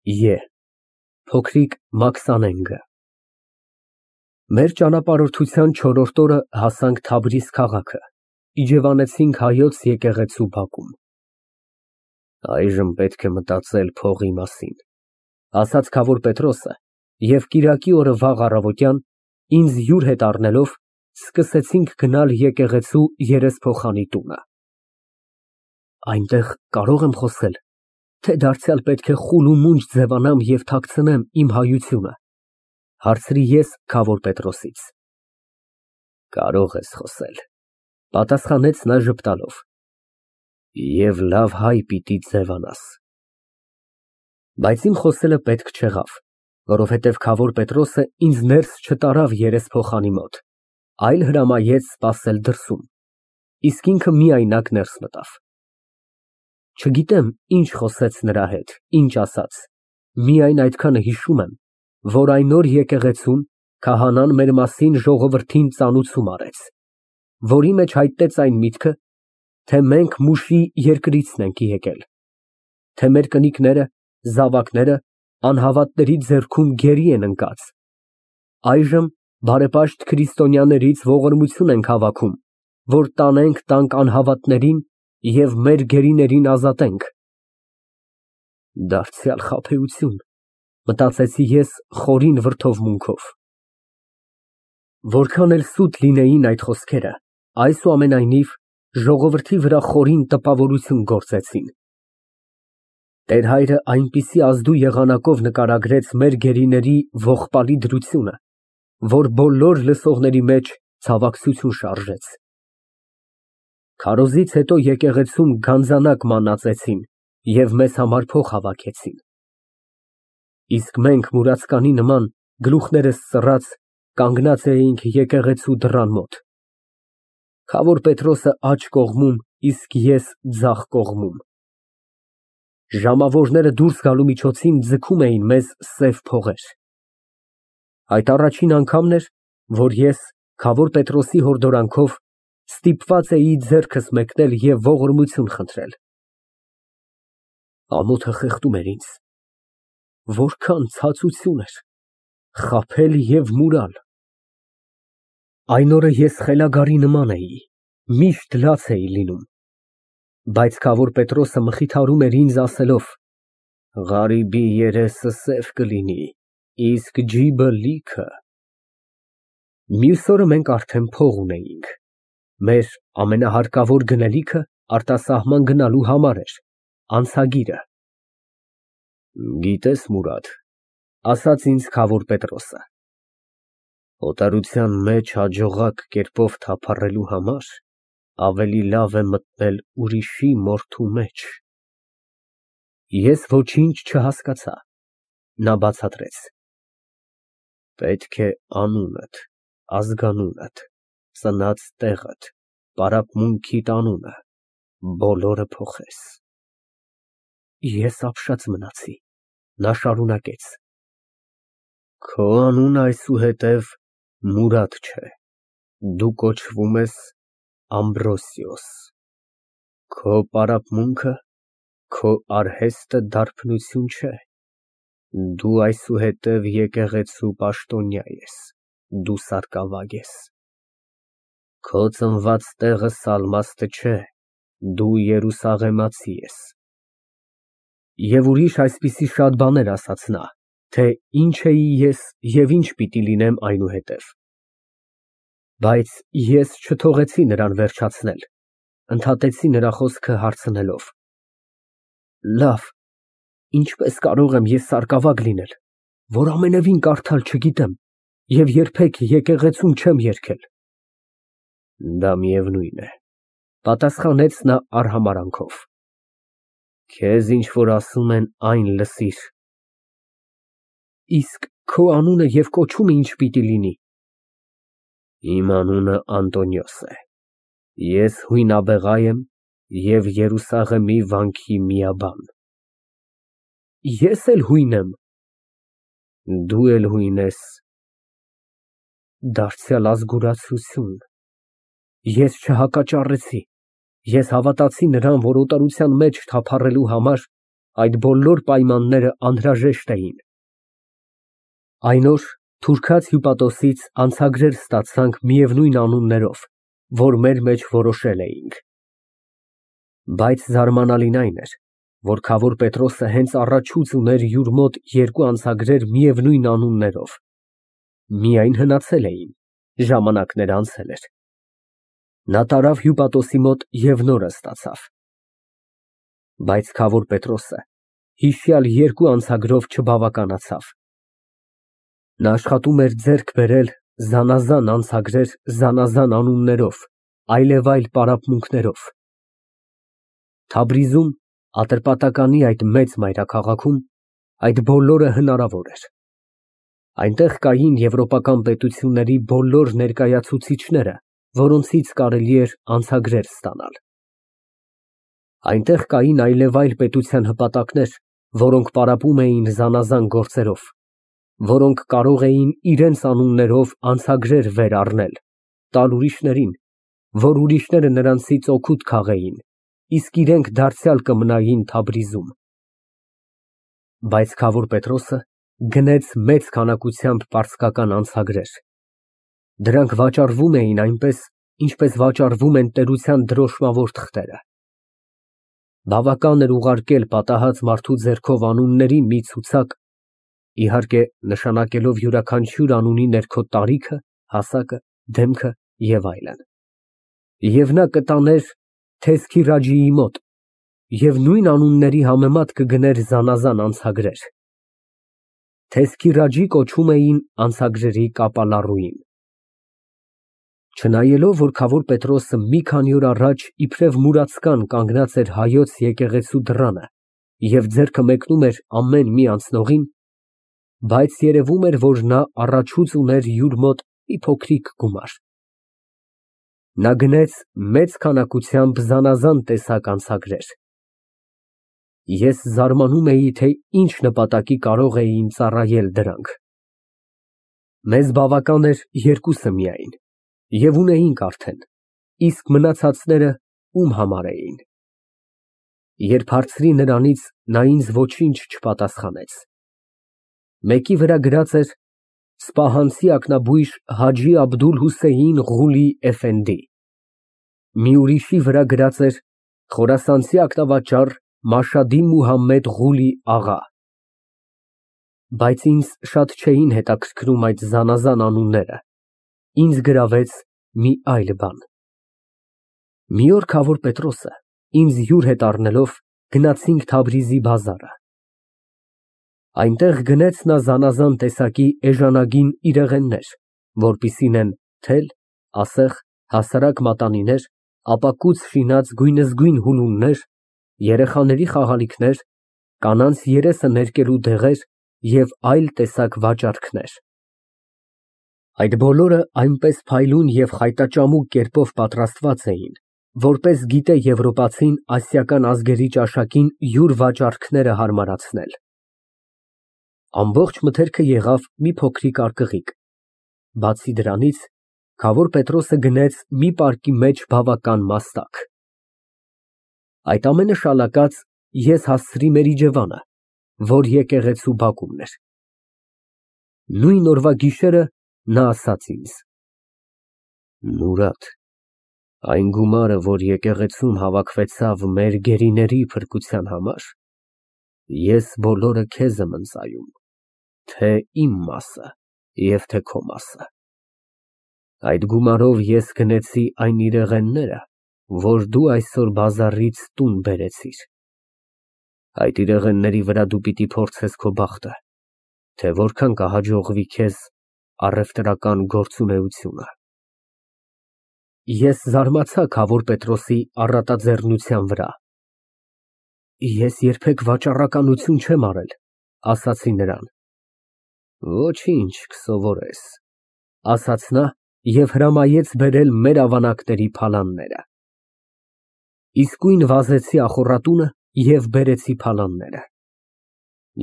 Է փոքրիկ Մաքսանենգը Մեր ճանապարհորդության չորրորդ օրը հասանք Թավրիզ քաղաքը, իջևանեցինք Հայոց եկեղեցու բակում։ Այժմ պետք է մտածել փողի մասին, ասաց քավոր Պետրոսը, և կիրակի օրը վաղ առավոտյան, ինձ յուր հետ առնելով, սկսեցինք գնալ եկեղեցու երեսփոխանի տունը։ Այնտեղ կարո՞ղ եմ խոսել, թե դարձյալ պետք է խուլ ու մունջ ձևանամ և թաքցնեմ իմ հայությունը, հարցրի ես քավոր Պետրոսից։ Կարող ես խոսել, պատասխանեց նա ժպտալով, և լավ հայ պիտի ձևանաս։ Բայց իմ խոսելը պետք չեղավ, որովհետև քավոր Պետրոսը ինձ ներս չտարավ երեսփոխանի մոտ, այլ հրամայեց սպասել դրսում, իսկ ինքը միայնակ ներս մտավ։ Չգիտեմ ինչ խոսեց նրա հետ, ինչ ասաց, միայն այդքանը հիշում եմ, որ այն օր եկեղեցում քահանան մեր մասին ժողովրդին ծանուցում արեց, որի մեջ հայտնեց այն միտքը, թե մենք մուշի երկրիցն ենք եկել, թե մեր կնիկները, զավակները անհավատների ձեռքում գերի են ընկած, այժմ բարեպաշտ քրիստոնյաներից ողորմություն ենք հավաքում, որ տանենք տանք անհավատներին և մեր գերիներին ազատենք։ Դարձյալ խաբեություն, մտածեցի ես խորին վրդովմունքով։ Որքան էլ սուտ լինեին այդ խոսքերը, այսուամենայնիվ ժողովրդի վրա խորին տպավորություն գործեցին։ Տեր֊հայրը այնպիսի ազդու եղանակով նկարագրեց մեր գերիների ողբալի դրությունը, որ բոլոր լսողների մեջ ցավակցություն շարժեց։ Քարոզից հետո եկեղեցում գանձանակ մանածեցին և մեզ համար փող հավաքեցին։ Իսկ մենք մուրացկանի նման գլուխներս ծռած կանգնած էինք եկեղեցու դռան մոտ, քավոր Պետրոսը աջ կողմում, իսկ ես ձախ կողմում։ Ժամավորները դուրս գալու միջոցին ձգում էին մեզ սև փողեր։ Այդ առաջին անգամն էր, որ ես քավոր Պետրոսի հորդորանքով ստիպված էի ձեռքս մեկնել և ողորմություն խնդրել։ Ամոթը խեղդում էր ինձ։ Որքան ցածություն էր, խաբել և մուրալ։ Այն օրը ես խելագարի նման էի, միշտ լաց էի լինում, բայց քավոր Պետրոսը մխիթարում էր ինձ ասելով. «Ղարիբի երեսը սև կլինի, իսկ ջիբը լիքը»։ Մյուս օրը մենք արդեն փող ունեինք։ Մեր ամենահարկավոր գնելիքը արտասահման գնալու համար էր, անցագիրը։ Գիտես, Մուրադ, ասաց ինձ քավոր Պետրոսը, օտարության մեջ հաջողակ կերպով թափառելու համար ավելի լավ է մտնել ուրիշի մորթու մեջ։ Ես ոչինչ չհասկացա։ Նա բացատրեց. Պետք է անունդ, ազգանունդ, ծնած տեղդ, պարապմունքիդ անունը, բոլորը փոխես։ Ես ապշած մնացի։ Նա շարունակեց. Քո անունը այսուհետև Մուրադ չէ, դու կոչվում ես Ամբրոսիոս, քո պարապմունքը, քո արհեստը դարբնություն չէ, դու այսուհետև եկեղեցու պաշտոնյա ես, դու սարկավագ ես, քո ծնված տեղը Սալմաստը չէ, դու Երուսաղեմացի ես։ Եվ ուրիշ այսպիսի շատ բաներ ասաց նա, թե ինչ էի ես և ինչ պիտի լինեմ այնուհետև։ Բայց ես չթողեցի նրան վերջացնել, ընդհատեցի նրա խոսքը հարցնելով. Լավ, ինչպես կարող եմ ես սարկավագ լինել, որ ամենևին կարդալ չգիտեմ և երբեք եկեղեցում չեմ երգել։ Դա միևնույն է, պատասխանեց նա արհամարհանքով։ Քեզ ինչ որ ասում են, այն լսիր։ Իսկ քո անունը և կոչումը ինչ պիտի լինի։ Իմ անունը Անտոնիոս է, ես հույնաբեղա եմ և Երուսաղեմի վանքի միաբան։ Ես էլ հույն եմ։ Դու էլ հույն ես։ Դարձյալ ազգուրացություն։ Ես չհակաճառեցի, ես հավատացի նրան, որ օտարության մեջ թափառելու համար այդ բոլոր պայմանները անհրաժեշտ էին։ Այն օր թուրքած հյուպատոսից անցագրեր ստացանք միևնույն անուններով, որ մեր մեջ որոշել էինք։ Բայց զարմանալին այն էր, որ Քավոր Պետրոսը հենց առաջուց ուներ յուր մոտ երկու անցագրեր միևնույն անուններով, միայն հնացել էին, ժամանակն անցել էր։ Նա տարավ հյուպատոսի մոտ և նորը ստացավ։ Բայց Քավոր Պետրոսը հիշյալ երկու անցագրով չբավականացավ։ Նա աշխատում էր ձեռք բերել զանազան անցագրեր զանազան անուններով, այլևայլ պարապմունքներով։ Թաբրիզում, Ատրպատականի այդ մեծ մայրաքաղաքում, այդ բոլորը հնարավոր էր։ Այնտեղ կային եվրոպական պետությունների բոլոր ներկայացուցիչները, որոնցից կարելի էր անցագրեր ստանալ։ Այնտեղ կային այլևայլ պետության հպատակներ, որոնք պարապում էին զանազան գործերով, որոնք կարող էին իրենց անուններով անցագրեր վեր առնել, տալ ուրիշներին, որ ուրիշները նրանցից օգուտ քաղեին, իսկ իրենք դարձյալ կմնային Թաբրիզում։ Բայց Քավոր Պետրոսը գնեց մեծ քանակությամբ պարսկական անցագրեր։ Դրանք վաճառվում էին այնպես, ինչպես վաճառվում են տերության դրոշմավոր թղթերը։ Բավական էր ուղարկել պատահած մարդու ձեռքով անունների մի ցուցակ, իհարկե նշանակելով յուրաքանչյուր անունի ներքո տարիքը, հասակը, դեմքը և այլն։ Եվ նա կտաներ Թեզքիրաջիի մոտ և նույն անունների համեմատ կգներ զանազան անցագրեր։ Թեզքիրաջի կոչում էին անցագրերի կապալառուին։ Չնայելով, որ Քավոր Պետրոսը մի քանի օր առաջ իբրև մուրացկան կանգնած էր հայոց եկեղեցու դռանը և ձեռքը մեկնում էր ամեն մի անցնողին, բայց երևում էր, որ նա առաջուց ուներ յուր մոտ մի փոքրիկ գումար։ Նա գնեց մեծ քանակությամբ զանազան տեսակ անցագրեր։ Ես զարմանում էի, թե ինչ նպատակի կարող էին ծառայել դրանք։ Մեզ բավական էր երկուսը միայն, և ունեինք արդեն, իսկ մնացածները ում համար էին։ Երբ հարցրի նրանից, նա ինձ ոչինչ չպատասխանեց։ Մեկի վրա գրած էր Սպահանցի ակնաբույժ Հաջի Աբդուլ֊Հուսեյն Ղուլի էֆենդի, մի ուրիշի վրա գրած էր Խորասանցի ակնավաճառ Մաշադի Մուհամմեդ Ղուլի աղա։ Բայց ինձ շատ չէին հետաքրքրում այդ զանազան անունները, ինձ գրավեց մի այլ բան։ Մի օր Քավոր Պետրոսը ինձ յուր հետ առնելով գնացինք Թաբրիզի բազարը։ Այնտեղ գնեց նա զանազան տեսակի էժանագին իրեղեններ, որպիսին են թել, ասեղ, հասարակ մատանիներ, ապակուց շինած գույնզգույն հուլումներ, երեխաների խաղալիքներ, կանանց երեսը ներկելու դեղեր և այլ տեսակ վաճառքներ։ Այդ բոլորը այնպես փայլուն և խայտաճամուկ կերպով պատրաստված էին, որպես գիտե եվրոպացին ասիական ազգերի ճաշակին յուր վաճառքները հարմարացնել։ Ամբողջ մթերքը եղավ մի փոքրիկ արկղիկ։ Բացի դրանից, Քավոր Պետրոսը գնեց մի պարկի մեջ բավական մաստակ։ Այդ ամենը շալակած ես հասցրի մեր իջևանը, որ եկեղեցու բակումն էր։ Նույն օրվա գիշերը նա ասաց ինձ. Մուրադ, այն գումարը, որ եկեղեցում հավաքվեցավ մեր գերիների փրկության համար, ես բոլորը քեզ եմ ընծայում, թե իմ մասը և թե քո մասը։ Այդ գումարով ես գնեցի այն իրեղենները, որ դու այսօր բազարից տուն բերեցիր։ Այդ իրեղենների վրա դու պիտի փորձես քո բախտը, թե որքան կհաջողվի քեզ առևտրական գործունեությունը։ Ես զարմացա Քավոր Պետրոսի առատաձեռնության վրա։ Ես երբեք վաճառականություն չեմ արել, ասացի նրան։ Ոչինչ, կսովորես, ասաց նա և հրամայեց բերել մեր ավանակների փալանները։ Իսկույն վազեցի ախոռատունը և բերեցի փալանները։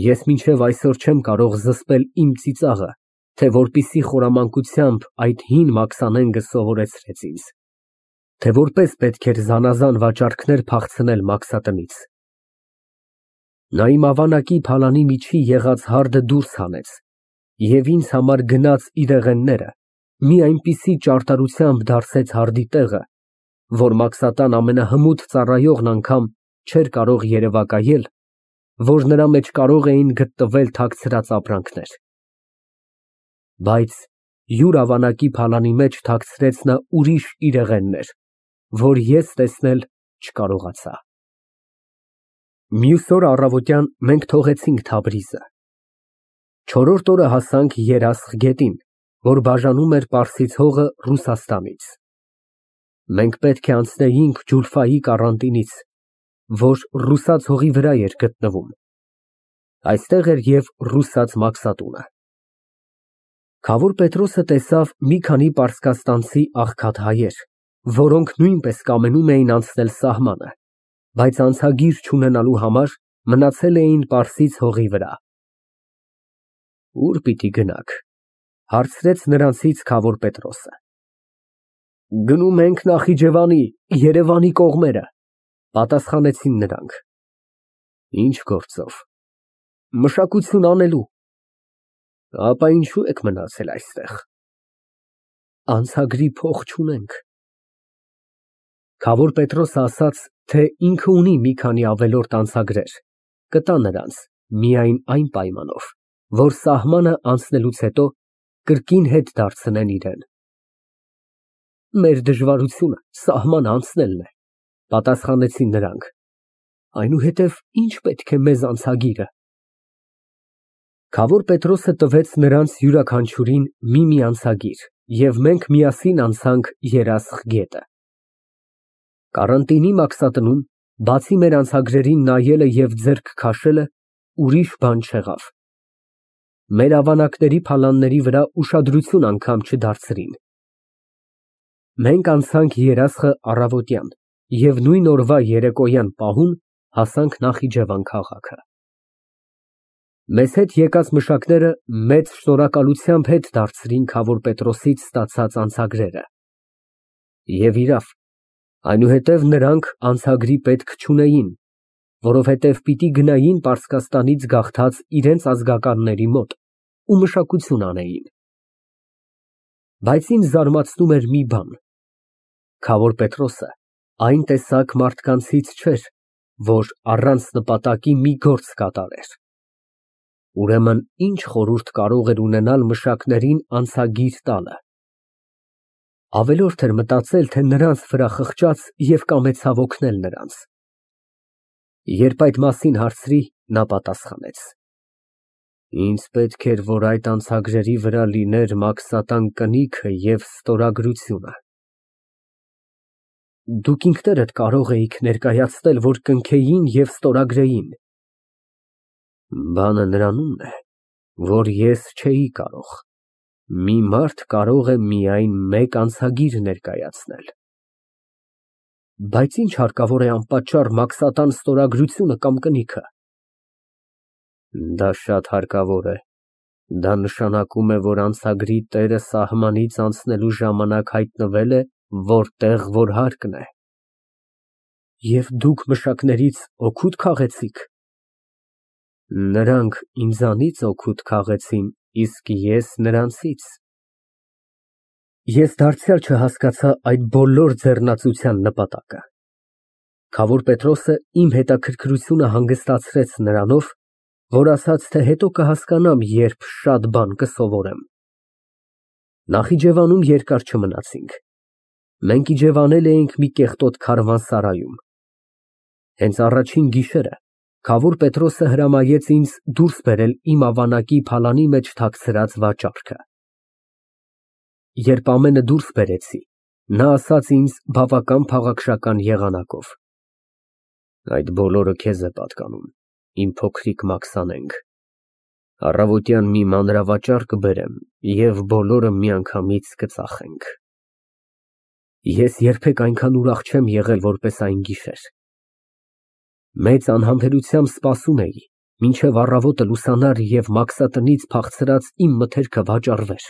Ես մինչև այսօր չեմ կարող զսպել իմ ծիծաղը, թե որպեսզի խորամանկությամբ այդ հին մաքսանենգը սովորեցրեց ինձ, թե որպես պետք էր զանազան վաճառքներ փախցնել մաքսատնից։ Նա իմ ավանակի փալանի միջի եղած հարդը դուրս հանեց և ինձ համար գնած իրեղենները մի այնպիսի ճարտարությամբ դարսեց հարդի տեղը, որ Մաքսատան ամենահմուտ ծառայողն անգամ չէր կարող երևակայել, որ նրա մեջ կարող էին գտնվել թաքցրած ապրանքներ։ Բայց յուր ավանակի փալանի մեջ թաքցրեց նա ուրիշ իրեղեններ, որ ես տեսնել չկարողացա։ Մյուս օր առավոտյան մենք թողեցինք Թաբրիզը։ Չորրորդ օրը հասանք Երասխ գետին, որ բաժանում էր Պարսից հողը Ռուսաստանից։ Մենք պետք է անցնեինք Ջուլֆայի կարանտինից, որ ռուսաց հողի վրա էր գտնվում։ Այստեղ էր և ռուսաց Մաքսատունը։ Քավոր Պետրոսը տեսավ մի քանի պարսկաստանցի աղքատ հայեր, որոնք նույնպես կամենում էին անցնել սահմանը, բայց անցագիր չունենալու համար մնացել էին Պարսից հողի վրա։ Ո՞ւր պիտի գնաք, հարցրեց նրանցից Քավոր Պետրոսը։ Գնում ենք Նախիջևանի, Երևանի կողմերը, պատասխանեցին նրանք։ Ինչ գործով։ Մշակություն անելու։ Ապա ինչու եք մնացել այստեղ։ Անցագրի փող չունենք։ Քավոր Պետրոսը ասաց, թե ինքը ունի մի քանի ավելորդ անցագրեր, կտա նրանց միայն այն պայմանով, որ սահմանը անցնելուց հետո կրկին հետ դարձնեն իրեն։ Մեր դժվարությունը սահման անցնելն է, պատասխանեցին նրանք։ Այնուհետև ինչ պետք է մեզ անցագիրը։ Քավոր Պետրոսը տվեց նրանց յուրաքանչյուրին մի անցագիր, և մենք միասին անցանք Երասխ գետը։ Կարանտինի Մաքսատնում, բացի մեր անցագրերին նայելը և ձեռք քաշելը, ուրիշ բան չեղավ։ Մեր ավանակների փալանների վրա ուշադրություն անգամ չդարձրին։ Մենք անցանք Երասխը առավոտյան և նույն օրվա երեկոյան պահուն հասանք Նախիջևան քաղաքը։ Մեզ հետ եկած մշակները մեծ շնորհակալությամբ հետ դարձրին Քավոր Պետրոսից ստացած անցագրերը։ Եվ իրավ, այնուհետև նրանք անցագրի պետք չունեին, որովհետև պիտի գնային Պարսկաստանից գաղթած իրենց ազգականների մոտ ու մշակություն անեին։ Բայց ինձ զարմացնում էր մի բան. Քավոր Պետրոսը այն տեսակ մարդկանցից չէր, որ առանց նպատակի մի գործ կատարեր։ Ուրեմն ինչ խորհուրդ կարող էր ունենալ մշակներին անցագիր տալը։ Ավելորդ էր մտածել, թե նրանց վրա խղճած և կամեցավ օգնել նրանց։ Երբ այդ մասին հարցրի, նա պատասխանեց. Ինձ պետք էր, որ այդ անցագրերի վրա լիներ Մաքսատան կնիքը և ստորագրությունը։ Դուք ինքներդ կարող էիք ներկայացնել, որ կնքեին և ստորագրեին։ Բանը նրանումն է, որ ես չէի կարող։ Մի մարդ կարող է միայն մեկ անցագիր ներկայացնել։ Բայց ինչ հարկավոր է անպատճառ Մաքսատան ստորագրությունը կամ կնիքը։ Դա շատ հարկավոր է։ Դա նշանակում է, որ անցագրի տերը սահմանից անցնելու ժամանակ հայտնվել է, որտեղ որ հարկն է։ Եվ դուք մշակներից օգուտ քաղեցի՞ք։ Նրանք ինձանից օգուտ քաղեցին, իսկ ես նրանցից։ Ես դարձյալ չհասկացա այդ բոլոր ձեռնացության նպատակը։ Քավոր Պետրոսը իմ հետաքրքրությունը հանգստացրեց նրանով, որ ասաց, թե հետո կհասկանամ, երբ շատ բան կսովորեմ։ Նախիջևանում երկար չմնացինք։ Մենք իջևանել էինք մի կեղտոտ քարավանսարայում։ Հենց առաջին գիշերը Քավոր Պետրոսը հրամայեց ինձ դուրս բերել իմ ավանակի փալանի մեջ թաքցրած վաճառքը։ Երբ ամենը դուրս բերեցի, նա ասաց ինձ բավական փաղաքշական եղանակով. Այդ բոլորը քեզ է պատկանում, իմ փոքրիկ Մաքսանենգ։ Առավոտյան մի մանրավաճառ կբերեմ և բոլորը միանգամից կծախենք։ Ես երբեք այնքան ուրախ չեմ եղել, որպես այն գիշեր։ Մեծ անհամբերությամբ սպասում էի, մինչև առավոտը լուսանար և Մաքսատնից փախցրած իմ մթերքը վաճառվեր։